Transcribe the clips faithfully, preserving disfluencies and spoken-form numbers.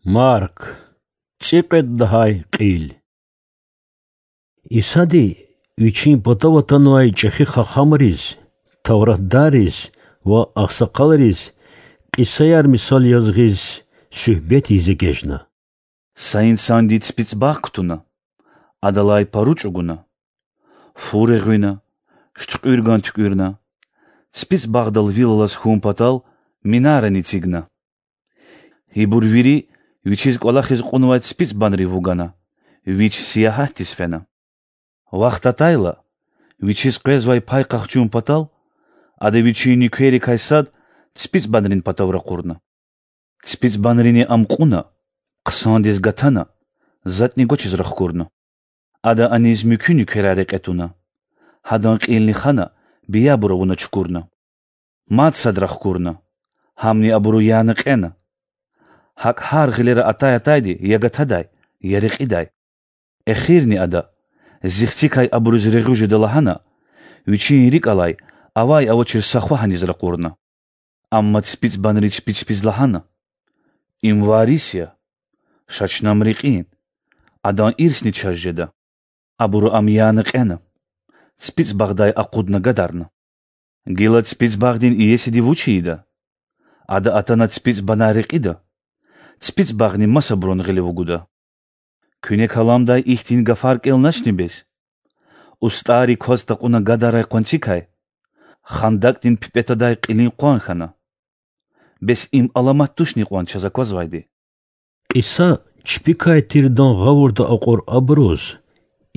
Марк, цӀикьвед лагьай кьил. Исади Вичин патав атанвай чӀехи хахамриз, тавратдарриз ва агъсакъалриз кьисаяр мисал яз гъиз, суьгьбет ийиз эгечӀна: Са инсанди ципицӀ багъ кутуна, адалай пару чӀугуна, фу регъуьна, шуьткьуьрган туькӀуьрна, ципицӀ багъдал вил алаз хьун патал минарани эцигна. Ибур вири вичиз кӀвалахиз кьунвай ципицӀбанрив вугана, вич сиягьатдиз фена. Вахт атайла, вичиз къвезвай пай къахчун патал, ада вичин нуькеррикай сад ципицӀбанрин патав ракъурна. ЦипицӀбанрини ам кьуна, хъсандиз гатана, затӀни гвачиз рахкурна. Ада аниз муькуь нуькерар рекье туна, гьадан кьилни хана, биябур авуна чукурна. Мад сад рахкурна, гьамни абуру яна кьена. ГьакӀ гьар гъилера атай-атайди я гатадай, я рекьидай. Эхирни ада, зи хцикай абуруз регъуь жеда лагьана, вичин рикӀ алай авай-авачир са хва гьаниз ракъурна. Амма ципицӀбанри чпи чпиз лагьана: Им варис я, ша чна ам рекьин, адан ирсни чаз жеда. Абуру ам яна кьена, ципицӀ багъдай акъудна гадарна. Гила ципицӀ багъдин иесиди вуч ийида? Ада атана ципицӀ банай рекьида, ципицӀ багъни масабурун гъиле вугуда. Куьне каламдай ихьтин гафар кӀелначни бес: устӀарри кваз такьуна гадарай къванцикай, хандакӀдин пипӀе тадай кьилин къван хьана? Бес им аламат тушни кьван чаз аквазвайди? Кьиса чпикай тирдан гъавурда акьур абуруз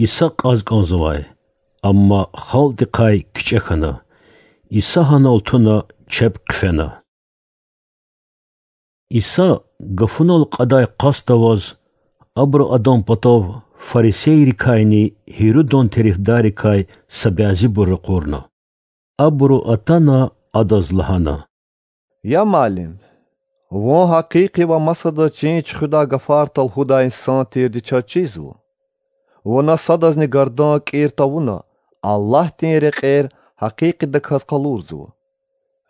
Иса кьаз кӀанзавай, амма халкьдихъай кичӀе хьана. Иса гьанал туна, чеб хъфена. Иса гафунал кьадай къаст аваз, абуру Адан патав фарисейрикайни Гьирудан терефдаррикай са бязибур ракъурна. Абуру атана Адаз лагьана: Я Муаллим, Вун гьакъикъи ва масадаз чин чуьхуьдай гафар талгьудай инсан тирди чаз чизва. Вуна садазни гардан кӀир тавуна, Аллагьдин рекьер гьакъикъидаказ къалурзава.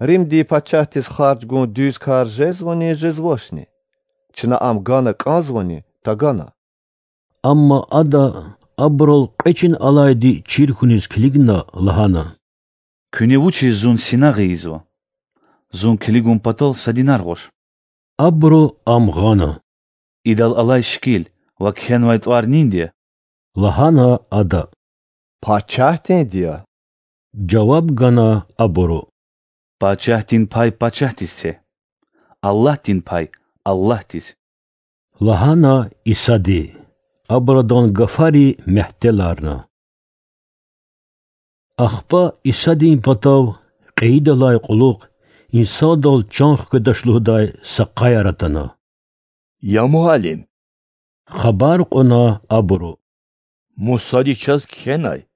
Римдин пачагьдиз харж гун дуьз кар жезвани, жезвачни? Чна ам гана кӀанзавани, тагана? Амма Ада абурал кьве чин алайди чир хьуниз килигна, лагьана: Куьне вучиз Зун синагъ ийизва? Зун килигун патал са динар гъваш. Абуру Ам гъана. Идал алай шикил ва кхьенвай тӀвар нинди я? лагьана Ада. Пачагьдинди я,— жаваб гана абуру. Пачагьдин пай пачагьдиз це, Аллагьдин пай— Аллагьдиз,— лагьана Исади. Абур Адан гафари мягьтеларна. Ахпа Исадин патав кьейидалай кьулухъ инсандал чан хкведач лугьудай са къаяр атана. Я Муаллим,— хабар кьуна абуру,— Мусади чаз кхьенай: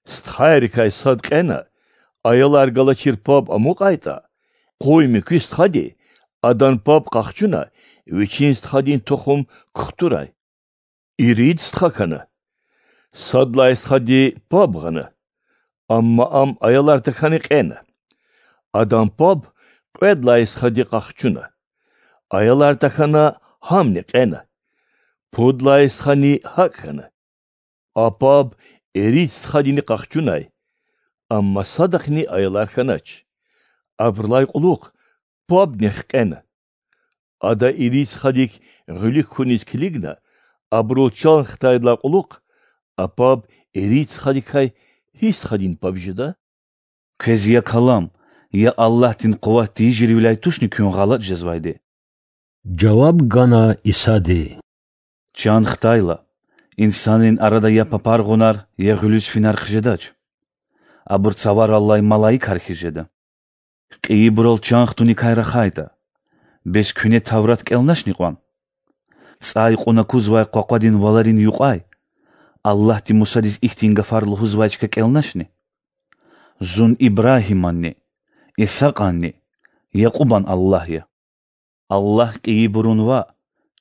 стхайрикай сад кьена, аялар галачир паб амукьайтӀа, къуй муькуь стхади, адан паб къахчуна, вичин стхадин тухум кухтурай. Ирид стха хьана. Сад лагьай стхади паб гъана, амма ам аялар тахьана кьена. Адан паб кьвед лагьай стхади къахчуна, аялар тахьана, гьамни кьена. Пуд лагьай стхани гьакӀ хьана. А паб ирид стхадини къахчунай, амма садахъни аялар хьанач. Абурулай кьулухъ пабни хкьена. Ада ирид стхадик гъуьлуьк хьуниз килигна, абурал чан хтайдалай кьулухъ, а паб ирид стхадикай гьи стхадин паб жеда? Квез я калам, я Аллагьдин къуват тийижирвиляй тушни куьн гъалатӀ жезвайди? жаваб гана Исади. Чан хтайла, инсанрин арада я папаргъунар, я гъуьлуьз финар хъжедач. Абур цавараллай малаикар хьиз жеда. Кьейибурал чан хтуникай рахайтӀа, бес куьне Таврат кӀелначни кьван? ЦӀай кьуна кузвай къвакъвадин валарин юкьвай Аллагьди Мусадиз ихьтин гафар лугьузвай чка кӀелначни? Зун Ибрагьиманни, Исакьанни, Якьубан Аллагь я. Аллагь кьейибурун ваъ,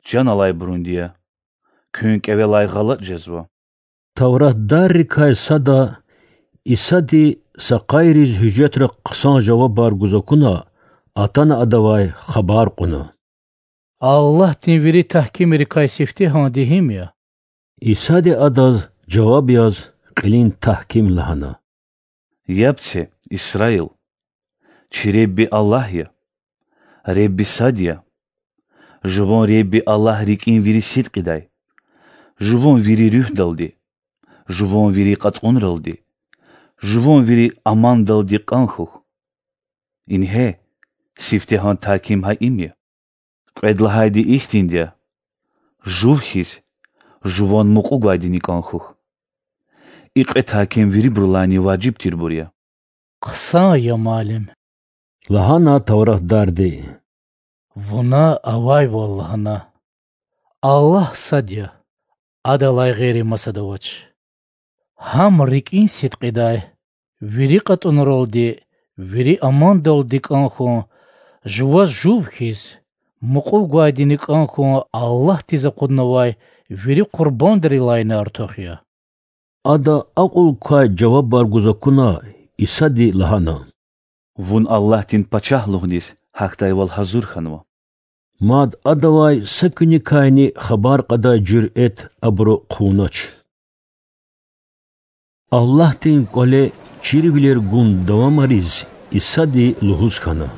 чан алайбурунди я. Куьн кӀевелай гъалатӀ жезва. Тавратдаррикай сада, Исади са къайриз гьуьжетра хъсан жавабар гуз акуна, атана Адавай хабар кьуна: Аллагьдин вири тагькимрикай сифтегьанди гьим я? Исади адаз жаваб яз кьилин тагьким лагьана: Яб це, Исраил! Чи Ребби Аллагь я, Ребби сад я. Жуван Ребби Аллагь рикӀин вири сидкьидай, жуван вири руьгьдалди, жуван вири кьатӀунралди, жуван вири амандалди кӀан хьухь. Ингье, сифтегьан тагьким гьа им я. Кьвед лагьайди ихьтинди я: жув хьиз, жуван мукьув гвайдини кӀан хьухь. И кьве тагьким вирибурулайни важиб тирбур я. Хъсан я, муаллим,— лагьана тавратдарди. Вуна авайвал лагьана: Аллагь сад я, Адалай гъейри масад авач. Гьам рикӀин сидкьидай, вири кьатӀунралди, вири амандалди кӀан хьун, жуваз жув хьиз, мукьув гвайдини кӀан хьун Аллагьдиз акъуднавай вири къурбандрилайни артух я. Ада акьул квай жавабар гуз акуна, Исади лагьана: Вун Аллагьдин пачагьлугъдиз гьахьдайвал гьазур хьанва. Мад Адавай са куьникайни хабар кьадай жуьрэт абуру хъувунач. Аллагьдин кӀвале чирвилер гун давамариз, Исади лугьуз хьана: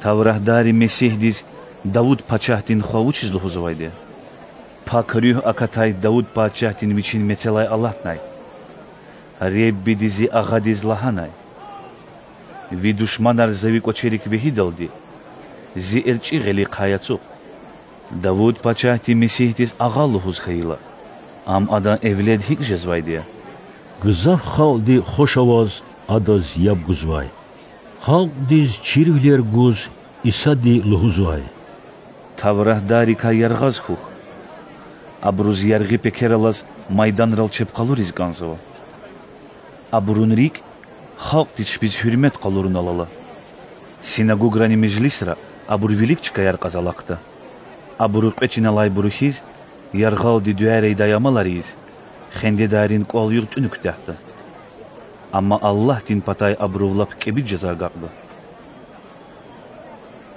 Тавратдари Месигьдиз Давуд пачагьдин хва вучиз лугьузвайди я? Пак Руьгь акатай Давуд пачагьдин вичин мецелай алатнай: Реббиди зи агъадиз лагьанай: Ви душманар за ви кӀвачерик вегьидалди, зи эрчӀи гъилихъай ацукь. Давуд пачагьди Месигьдиз агъа лугьуз хьайила, ам адан эвлед гьикӀ жезвайди я? Гзаф халкьди хуш аваз Адаз яб гузвай. Халкьдиз чирвилер гуз, Исади лугьузвай: Тавратдаррикай яргъаз хьухь. Абуруз яргъи пекер алаз майданрал чеб къалуриз кӀанзава. Абурун рикӀ халкьди чпиз гьуьрмет къалурунал ала. Синагуграни межлисра абур вилик чкаяр кьаз алахъда. Абуру кьве чиналайбуру хьиз, яргъалди дуьаяр ийидай амалар ийиз, хендедайрин кӀвал-югъ тӀуьна куьтягьда. Амма Аллагьдин патай абурув лап кӀеби жаза агакьда.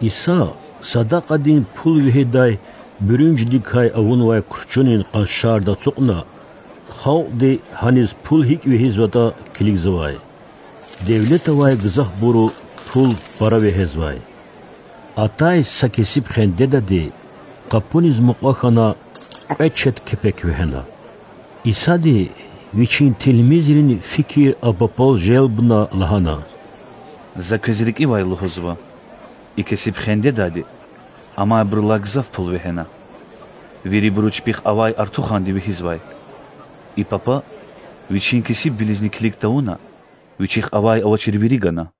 Иса садакьадин пул вегьидай буьруьнжидикай авунвай курчунин къаншарда ацукьна, халкьди гьаниз пул гьикӀ вегьизватӀа килигзавай. Девлет авай гзафбуру пул пара вегьезвай. Атай са кесиб хендедади, къапуниз мукьва хьана, кьве чет кепек вегьена. Исади, Вичин тилмизрин фикир а папал желбна, лагьана: За квез рикӀивай лугьузва: и кесиб хендедади амайбурулай гзаф пул вегьена. Вирибуру чпихъ авай артуханди вегьизвай. И папа, вичин кесибвилизни килиг тавуна, вичихъ авай-авачир вири гана.